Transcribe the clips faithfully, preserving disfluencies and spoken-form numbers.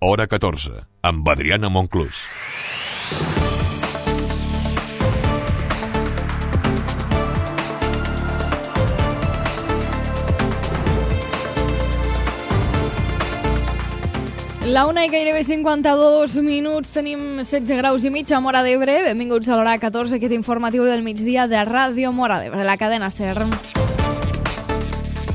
Hora catorze, amb Adriana Monclús. La una i gairebé cinquanta-dos minuts, tenim setze graus i mig a Móra d'Ebre. Benvinguts a l'hora catorze, aquest informatiu del migdia de Ràdio Móra d'Ebre, la cadena SER.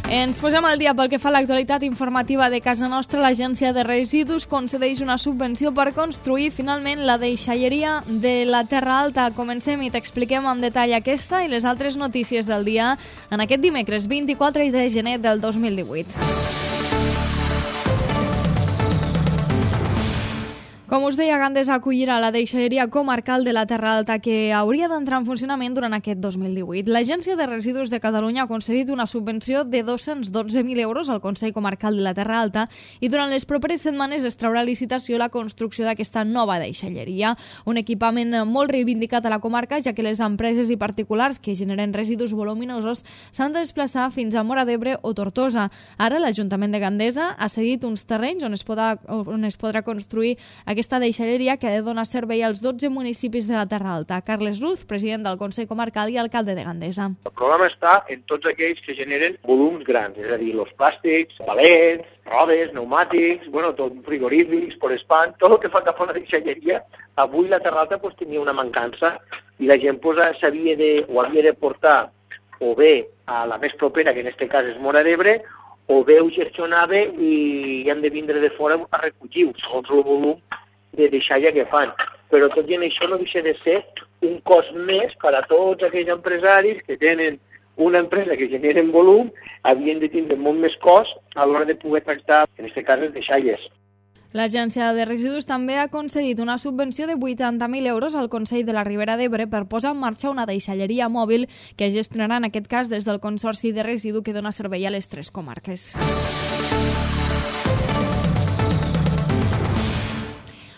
Ens posem al dia pel que fa a l'actualitat informativa de casa nostra. L'Agència de Residus concedeix una subvenció per construir finalment la deixalleria de la Terra Alta. Comencem i t'expliquem en detall aquesta i les altres notícies del dia en aquest dimecres vint-i-quatre de gener del dos mil divuit. Com us deia, Gandesa acollirà la deixalleria comarcal de la Terra Alta que hauria d'entrar en funcionament durant aquest dos mil divuit. L'Agència de Residus de Catalunya ha concedit una subvenció de dos-cents dotze mil euros al Consell Comarcal de la Terra Alta i durant les properes setmanes es traurà a licitació la construcció d'aquesta nova deixalleria. Un equipament molt reivindicat a la comarca, ja que les empreses i particulars que generen residus voluminosos s'han de desplaçar fins a Móra d'Ebre o Tortosa. Ara l'Ajuntament de Gandesa ha cedit uns terrenys on es podrà, on es podrà construir aquesta deixalleria que ha de donar servei als dotze municipis de la Terra Alta. Carles Ruz, president del Consell Comarcal i alcalde de Gandesa. El programa està en tots aquells que generen volums grans, és a dir, els plàstics, palets, rodes, pneumàtics, bueno, tot, frigorífics, por espant, tot el que fa cap a una deixalleria. Avui la Terra Alta pues, tenia una mancança i la gent pues, sabia de, o havia de portar o bé a la més propera, que en aquest cas és Móra d'Ebre, o bé ho gestionava i han de vindre de fora a recollir-ho, segons el volum de deixalla que fan. Però tot i això no deixa de ser un cost més per a tots aquells empresaris que tenen una empresa que generen volum, havien de tindre molt més cost a l'hora de poder tractar, en aquest cas, les deixalles. L'Agència de Residus també ha concedit una subvenció de vuitanta mil euros al Consell de la Ribera d'Ebre per posar en marxa una deixalleria mòbil que gestionarà en aquest cas des del Consorci de Residu que dona servei a les tres comarques.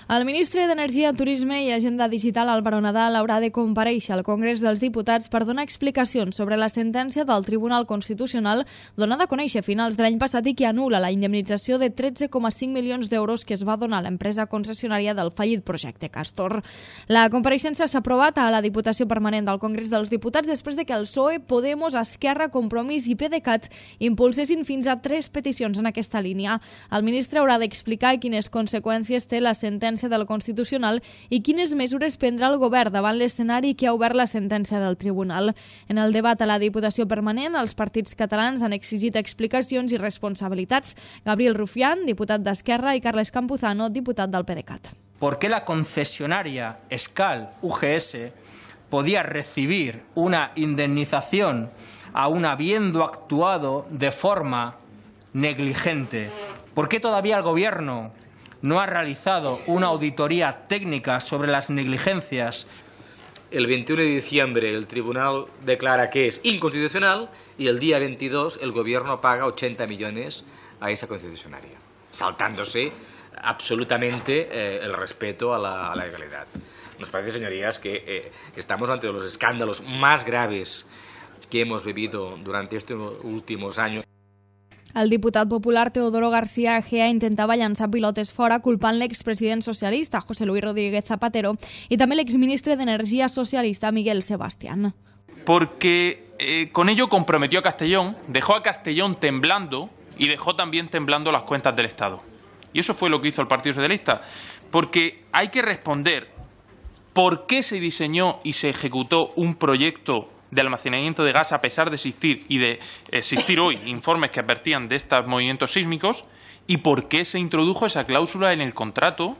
El ministre d'Energia, Turisme i Agenda Digital, Álvaro Nadal, haurà de comparèixer al Congrés dels Diputats per donar explicacions sobre la sentència del Tribunal Constitucional donada a conèixer a finals de l'any passat i que anul·la la indemnització de tretze coma cinc milions d'euros que es va donar a l'empresa concessionària del fallit projecte Castor. La compareixença s'ha aprovat a la Diputació Permanent del Congrés dels Diputats després de que el P S O E, Podemos, Esquerra, Compromís i PDeCAT impulsessin fins a tres peticions en aquesta línia. El ministre haurà d'explicar quines conseqüències té la sentència del Constitucional i quines mesures prendrà el govern davant l'escenari que ha obert la sentència del Tribunal. En el debat a la Diputació Permanent, els partits catalans han exigit explicacions i responsabilitats. Gabriel Rufián, diputat d'Esquerra, i Carles Campuzano, diputat del PDeCAT. ¿Por qué la concesionaria Escal U G S podía recibir una indemnización aún habiendo actuado de forma negligente? ¿Por qué todavía el Gobierno no ha realizado una auditoría técnica sobre las negligencias? El veintiuno de diciembre el tribunal declara que es inconstitucional y el día veintidós el gobierno paga ochenta millones a esa concesionaria, saltándose absolutamente eh, el respeto a la, a la legalidad. Nos parece, señorías, que eh, estamos ante los escándalos más graves que hemos vivido durante estos últimos años. El diputat popular Teodoro García Egea intentava llançar pilotes fora culpant l'expresident socialista José Luis Rodríguez Zapatero y també l'exministre d'Energia socialista Miguel Sebastián. Porque eh, con ello comprometió a Castellón, dejó a Castellón temblando y dejó también temblando las cuentas del Estado. Y eso fue lo que hizo el Partido Socialista. Porque hay que responder por qué se diseñó y se ejecutó un proyecto de almacenamiento de gas a pesar de existir y de existir hoy informes que advertían de estos movimientos sísmicos y por qué se introdujo esa cláusula en el contrato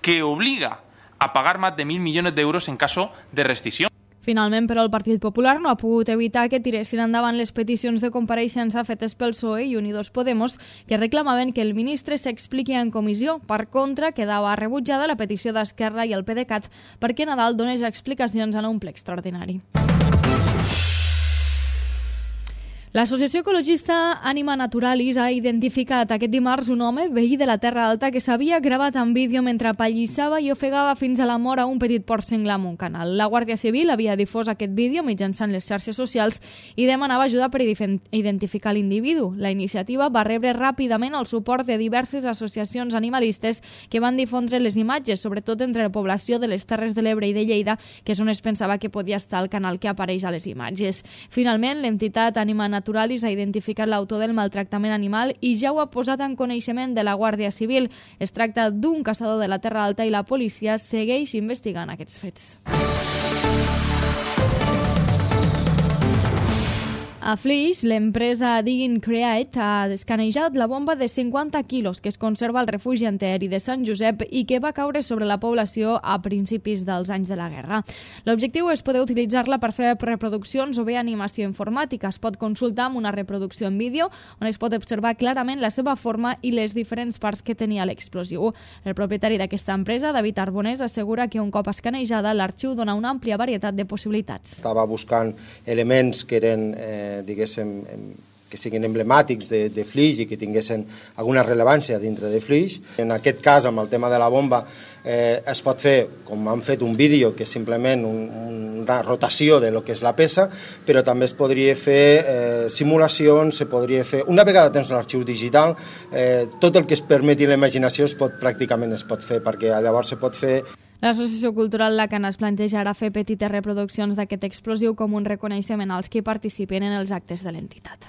que obliga a pagar más de mil millones de euros en caso de rescisión. Finalment, però, el Partit Popular no ha pogut evitar que tiressin endavant les peticions de compareixença fetes pel P S O E i Unidos Podemos, que reclamaven que el ministre s'expliqui en comissió. Per contra, quedava rebutjada la petició d'Esquerra i el PDeCAT perquè Nadal donés explicacions en un ple extraordinari. L'associació ecologista Anima Naturalis ha identificat aquest dimarts un home, veí de la Terra Alta, que s'havia gravat en vídeo mentre pallissava i ofegava fins a la mort a un petit porc senglar amb un canal. La Guàrdia Civil havia difós aquest vídeo mitjançant les xarxes socials i demanava ajuda per identificar l'individu. La iniciativa va rebre ràpidament el suport de diverses associacions animalistes que van difondre les imatges, sobretot entre la població de les Terres de l'Ebre i de Lleida, que és on es pensava que podia estar el canal que apareix a les imatges. Finalment, l'entitat Anima Naturalis ha identificat l'autor del maltractament animal i ja ho ha posat en coneixement de la Guàrdia Civil. Es tracta d'un caçador de la Terra Alta i la policia segueix investigant aquests fets. A Flix, l'empresa Digging Create ha escanejat la bomba de cinquanta quilos que es conserva al refugi antiaeri de Sant Josep i que va caure sobre la població a principis dels anys de la guerra. L'objectiu és poder utilitzar-la per fer reproduccions o bé animació informàtica. Es pot consultar amb una reproducció en vídeo on es pot observar clarament la seva forma i les diferents parts que tenia l'explosiu. El propietari d'aquesta empresa, David Arbonés, assegura que un cop escanejada l'arxiu dona una àmplia varietat de possibilitats. Estava buscant elements que eren eh, diguéssim, que siguin emblemàtics de, de Flix i que tinguessin alguna rellevància dintre de Flix. En aquest cas, amb el tema de la bomba, eh, es pot fer, com han fet un vídeo, que és simplement un, una rotació de lo que és la peça, però també es podria fer eh, simulacions, se podria fer... Una vegada tens l'arxiu digital, eh, tot el que es permeti la imaginació es pot, pràcticament es pot fer, perquè llavors se pot fer... L'Associació Cultural Lacan es plantejarà fer petites reproduccions d'aquest explosiu com un reconeixement als que participen en els actes de l'entitat.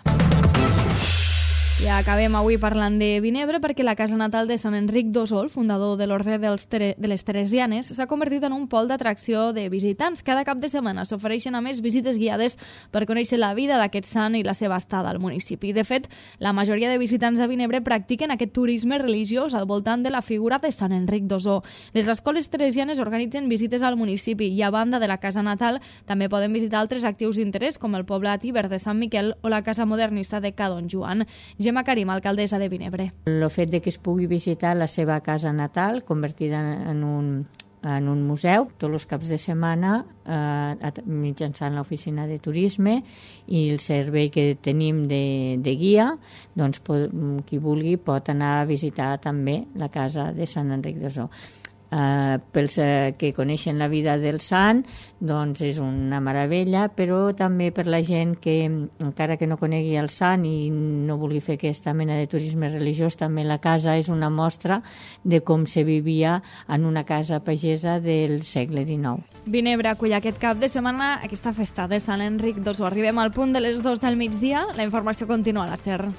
I acabem avui parlant de Vinebre perquè la casa natal de Sant Enric d'Osol, fundador de l'Orde de les Teresianes, s'ha convertit en un pol d'atracció de visitants. Cada cap de setmana s'ofereixen a més visites guiades per conèixer la vida d'aquest sant i la seva estada al municipi. De fet, la majoria de visitants de Vinebre practiquen aquest turisme religiós al voltant de la figura de Sant Enric d'Osor. Les escoles teresianes organitzen visites al municipi i a banda de la casa natal també poden visitar altres actius d'interès com el poblat Iber de Sant Miquel o la casa modernista de Ca Don Joan. Gemma Karim, alcaldessa de Vinebre. El fet de que es pugui visitar la seva casa natal, convertida en un, en un museu, tots els caps de setmana, eh, mitjançant l'oficina de turisme i el servei que tenim de, de guia, doncs pot, qui vulgui pot anar a visitar també la casa de Sant Enric d'Osor. Uh, pels uh, que coneixen la vida del sant, doncs és una meravella, però també per la gent que encara que no conegui el sant i no vulgui fer aquesta mena de turisme religiós, també la casa és una mostra de com se vivia en una casa pagesa del segle dinou. Vinebre acull aquest cap de setmana aquesta festa de Sant Enric d'Osor. Arribem al punt de les dues del migdia, la informació continua a la SER.